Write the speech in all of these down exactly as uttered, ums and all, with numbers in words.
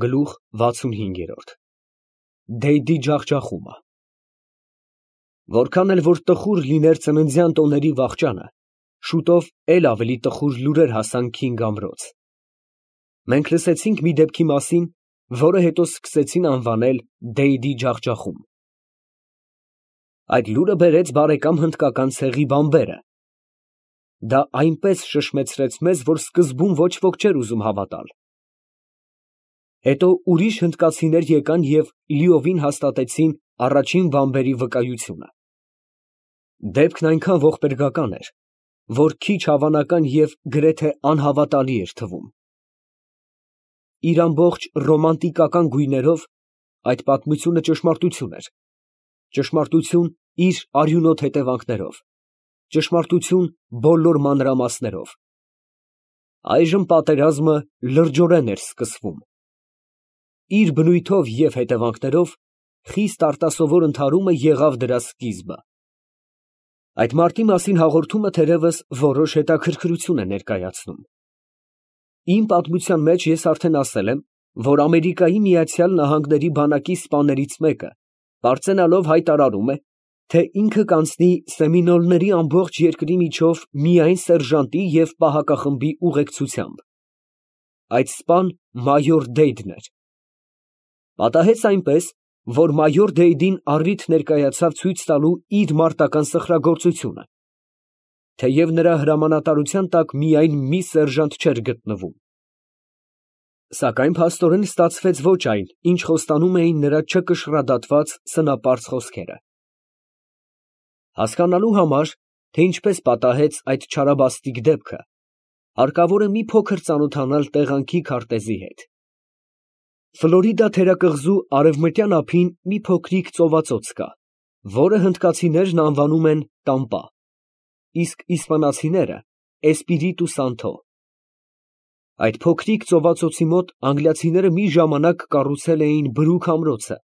Գլուխ վաթսունհինգ։ Դեյդի ջախջախումը։ Որքան էլ որ տխուր լիներ ծննդյան տոների վախճանը, շուտով էլ ավելի տխուր լուրեր հասան Քինգ ամրոց։ Մենք լսեցինք մի դեպքի մասին, որը հետո սկսեցին անվանել Դեյդի ջախջախում։ Այդ լուրը բերեց բարեկամ հնդկական ցեղի բանբերը։ Դա այնպես շշմեցրեց մեզ, որ սկզբում ոչ ոք չէր ուզում հավատալ։ Հետո ուրիշ հնդկացիներ եկան և լիովին հաստատեցին առաջին բանբերի վկայությունը։ Դեպքն այնքան ողբերգական էր, որ քիչ հավանական և գրեթե անհավատալի էր թվում։ Իր ամբողջ ռոմանտիկական գույներով այդ պատմությունը ճշմարտություն էր, ճշմարտություն իր արյունոտ հետևանքներով, ճշմարտություն բոլոր մանրամասներով։ Այժմ պատերազմը լրջորեն էր սկսվում։ Իր բնույթով և հետևանքներով խիստ արտասովոր ընդհարումը եղավ դրա սկիզբը։ Այդ մարտի մասին հաղորդումը թերևս որոշ հետաքրքրություն է ներկայացնում։ Իմ պատմության մեջ ես արդեն ասել եմ, որ Ամերիկայի Միացյալ Նահանգների բանակի սպաներից մեկը պարծենալով հայտարարում է, թե ինքը կանցնի սեմինոլների ամբողջ երկրի միջով միայն սերժանտի և պահակախմբի ուղեկցությամբ։ Այդ սպան մայոր Դեյդն էր։ Պատահեց այնպես, որ մայոր Դեյդին առիթ ներկայացավ ցույց տալու իր մարտական սխրագործությունը, թեև նրա հրամանատարության տակ միայն մի սերժանտ չէր գտնվում։ Սակայն փաստորեն ստացվեց ոչ այն, ինչ խոստանում էին նրա չկշռադատված սնապարծ խոսքերը։ Հասկանալու համար, թե ինչպես պատահեց այդ չարաբաստիկ դեպքը, հարկավոր է մի փոքր ծանոթանալ տեղանքի քարտեզի հետ։ Ֆլորիդա թերակղզու արևմտյան ափին մի փոքրիկ ծովածոց կա, որը հնդկացիներն անվանում են Տամպա, իսկ իսպանացիները Էսպիրիտու Սանթո։ Այդ փոքրիկ ծովածոցի մոտ անգլիացիները մի ժամանակ կառուցել էին բրուկ ամրոցը,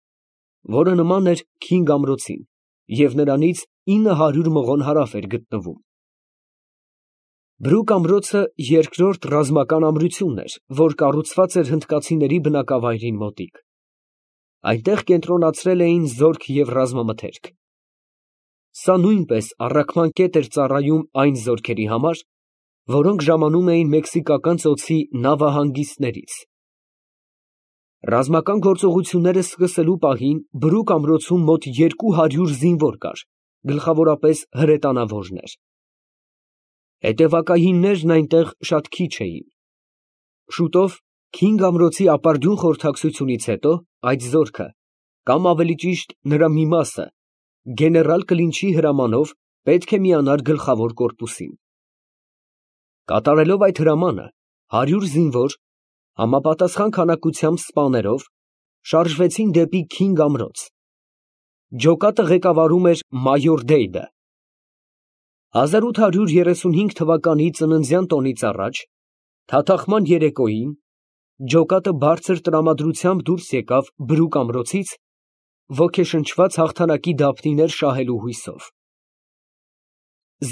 որը նման էր Քինգ ամրոցին, և նրանից ինը հարյուր մղոն հարավ էր գտնվում։ Բրուկ ամրոցը երկրորդ ռազմական ամրությունն էր, որ կառուցված էր հնդկացիների բնակավայրին մոտիկ։ Այնտեղ կենտրոնացրել էին զորք և ռազմամթերք։ Սա նույնպես առաքման կետ էր ծառայում այն զորքերի համար, որոնք ժամանում էին Մեքսիկական ծոցի նավահանգիստներից։ Ռազմական գործողությունները սկսելու պահին բրուկ ամրոցում մոտ երկու հարյուր զինվոր կար, գլխավորապես հրետանավորներ։ Հետևակայիններն այնտեղ շատ քիչ էին։ Շուտով Քինգ ամրոցի ապարդյուն խորհրդակցությունից հետո այդ զորքը, կամ ավելի ճիշտ նրա մի մասը, գեներալ Կլինչի հրամանով պետք է միանար գլխավոր կորպուսին։ Կատարելով այդ հրամանը, հարյուր զինվոր, համապատասխան քանակությամբ սպաներով, շարժվեցին դեպի Քինգ ամրոց։ Ջոկատը ղեկավարում էր մայոր Դեյդը։ հազար ութ հարյուր երեսունհինգ թվականի ծննդյան տոնից առաջ, թաթախման երեկոյին, ջոկատը բարձր տրամադրությամբ դուրս եկավ բրուկ ամրոցից, ոգեշնչված հաղթանակի դափնիներ շահելու հույսով։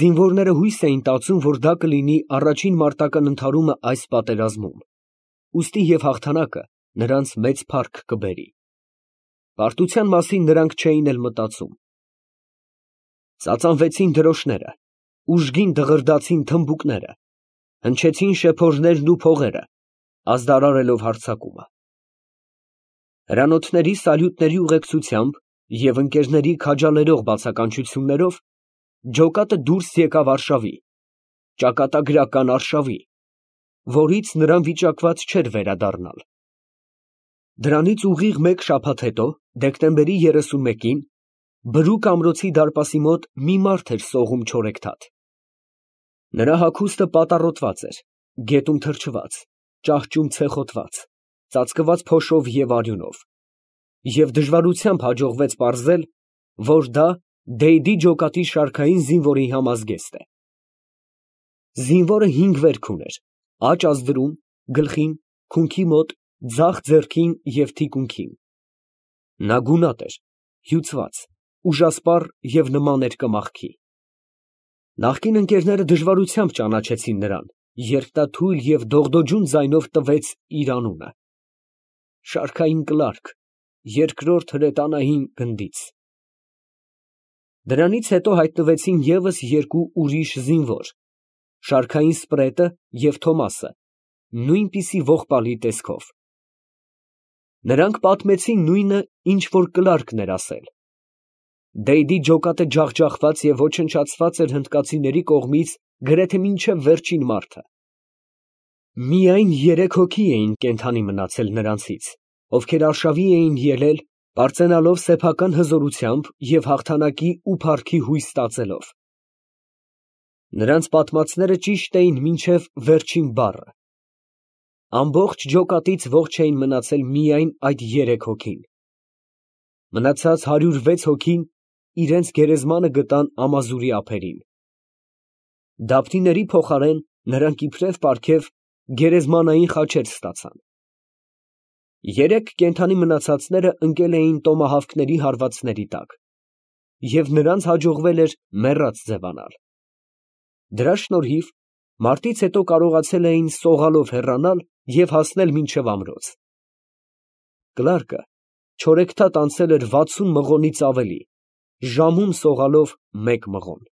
Զինվորները հույս էին տածում, որ դա կլինի առաջին մարտական ընդհարումը այս պատերազմում, ուստի և հաղթանակը նրանց մեծ փառք կբերի։ Պարտության մասին նրանք չէին էլ մտածում։ Ծածանվեցին դրոշները, ուժգին դղրդացին թմբուկները, հնչեցին շեփորներն ու փողերը, ազդարարելով հարձակումը։ Հրանոթների սալյուտների ուղեկցությամբ և ընկերների քաջալերող բացականչություններով ջոկատը դուրս եկավ արշավի, ճակատագրական արշավի, որից նրան վիճակված չէր վերադառնալ։ Դրանից ուղիղ մեկ շաբաթ հետո, դեկտեմբերի երեսունմեկին, բրուկ ամրոցի դարպասի մոտ մի մարդ էր սողում չորեքթաթ։ Նրա հագուստը պատառոտված էր, գետում թրջված, ճահճում ցեխոտված, ծածկված փոշով և արյունով, և դժվարությամբ հաջողվեց պարզել, որ դա Դեյդի ջոկատի շարքային զինվորի համազգեստ է։ Զինվորը հինգ վերք ուներ, աջ ազդրում, գլխին, քունքի մոտ, ձախ ձեռքին և թիկունքին։ Նա գունատ էր, հյուծված, ուժասպառ և նման էր կմախքի։ Նախկին ընկերները դժվարությամբ ճանաչեցին նրան, երբ նա թույլ և դողդոջուն ձայնով տվեց իր անունը։ շարքային կլարկ, երկրորդ հրետանային գնդից։ Դրանից հետո հայտնվեցին ևս երկու ուրիշ զինվոր, շարքային սպրետը և Թոմասը, նույնպիսի ողբալի տեսքով։ Նրանք պատմեցին նույնը, ինչ որ կլարկն էր ասել։ Դեյդի ջոկատը ջախջախված և ոչնչացված էր հնդկացիների կողմից գրեթե մինչև վերջին մարդը։ Միայն երեք հոգի էին կենդանի մնացել նրանցից, ովքեր արշավի էին ելել, պարծենալով սեփական հզորությամբ և հաղթանակի ու փառքի հույս ստացելով։ Նրանց պատմածները ճիշտ էին մինչև վերջին բառը։ Ամբողջ ջոկատից ողջ էին մնացել միայն այդ երեք հոգին։ Մնացած հարյուր վեց հոգին իրենց գերեզմանը գտան ամազուրի ափերին։ Դափնիների փոխարեն նրանք իբրև պարգև գերեզմանային խաչեր ստացան։ Երեք կենդանի մնացածները ընկել էին տոմահավքների հարվածների տակ, և նրանց հաջողվել էր մեռած ձևանալ։ Դրա շնորհիվ մարտից հետո կարողացել էին սողալով հեռանալ և հասնել մինչև ամրոց։ Կլարկը չորեքթաթ անցել էր վաթսուն մղոնից ավելի, ժամում սողալով մեկ մղոն։